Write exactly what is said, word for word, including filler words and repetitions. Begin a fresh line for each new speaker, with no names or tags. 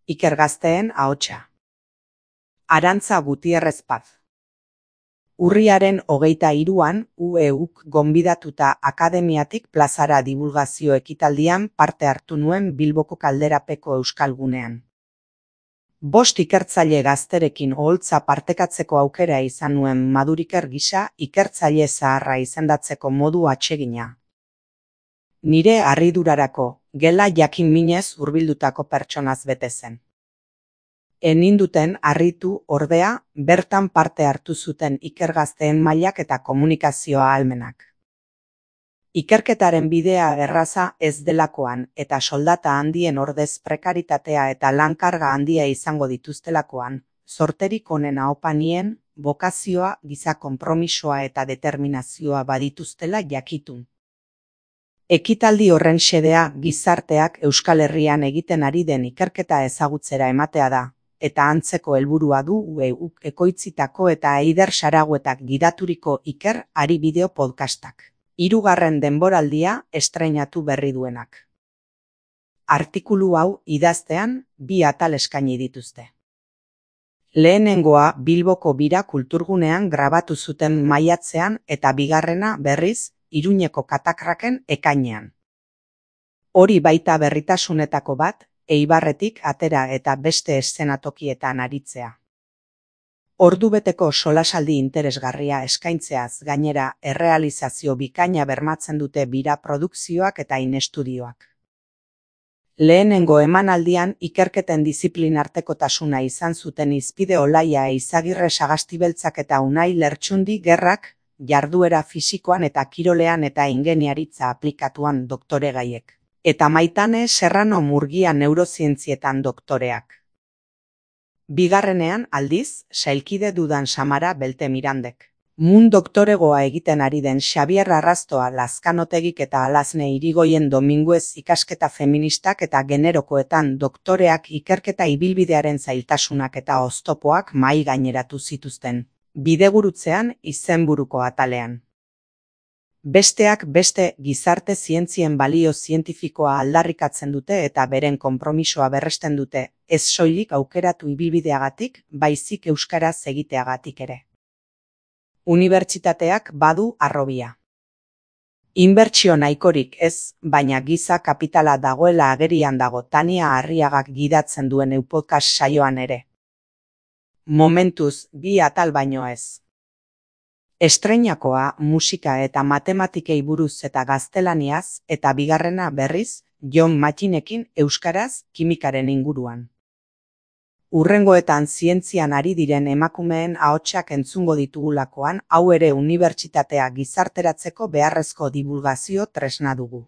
Iker Gazteen ahotsa. Arantza Gutierrez Paz. Urriaren hogeita hiruan U E Uk gonbidatuta akademiatik plazara dibulgazio ekitaldian parte hartu nuen Bilboko Kalderapeko Euskalgunean. Bost ikertzaile gazterekin oholtza partekatzeko aukera izan nuen Maduriker gisa ikertzaile zaharra izendatzeko modu atsegina. Nire harridurarako, gela jakin minez hurbildutako pertsonaz bete zen. Eninduten harritu ordea bertan parte hartu zuten Iker Gazteen mailak eta komunikazio ahalmenak. Ikerketaren bidea erraza ez delakoan eta soldata handien ordez prekaritatea eta lankarga handia izango dituztelakoan, zorterik onena opa nien, bokazioa, giza konpromisoa eta determinazioa badituztela jakitun. Ekitaldi horren xedea gizarteak Euskal Herrian egiten ari den ikerketa ezagutzera ematea da, eta antzeko helburua du U E Uk ekoitzitako eta Eider Saraguetak gidaturiko Iker Ari bideo podcastak. Hirugarren denboraldia estreinatu berri duenak. Artikulu hau idaztean bi atal eskaini dituzte. Lehenengoa Bilboko Bira Kulturgunean grabatu zuten maiatzean eta bigarrena berriz Iruñeko Katakraken ekainean. Hori baita berritasunetako bat, Eibarretik atera eta beste eszenatokietan aritzea. Ordubeteko solasaldi interesgarria eskaintzeaz gainera errealizazio bikaina bermatzen dute Bira produkzioak eta inestudioak. Lehenengo emanaldian ikerketen diziplinartekotasuna izan zuten Izpide Olaia Eizagirre Sagastibeltzak eta Unai Lertxundi Gerrak, jarduera fisikoan eta kirolean eta ingeniaritza aplikatuan doktoregaiek. Eta Maitane Serrano Murgia neurozientzietan doktoreak. Bigarrenean, aldiz, sailkide dudan Samara Belte Mirandek. Mun doktoregoa egiten ari den Xabier Arrastoa Lazkanotegik eta Alazne Irigoyen Dominguez ikasketa feministak eta generokoetan doktoreak ikerketa ibilbidearen zailtasunak eta oztopoak mahai gaineratu zituzten. Bidegurutzean izenburuko atalean. Besteak beste gizarte zientzien balio zientifikoa aldarrikatzen dute eta beren konpromisoa berresten dute, ez soilik aukeratu ibilbideagatik, baizik euskaraz egiteagatik ere. Unibertsitateak badu harrobia. Inbertsio nahikorik ez, baina giza kapitala dagoela agerian dago Tania Arriagak gidatzen duen podcast saioan ere. Momentuz, bi atal baino ez. Estreinakoa musika eta matematikei buruz eta gaztelaniaz eta bigarrena berriz Jon Mattinekin euskaraz kimikaren inguruan. Hurrengoetan zientzian ari diren emakumeen ahotsak entzungo ditugulakoan hau ere unibertsitatea gizarteratzeko beharrezko dibulgazio tresna dugu.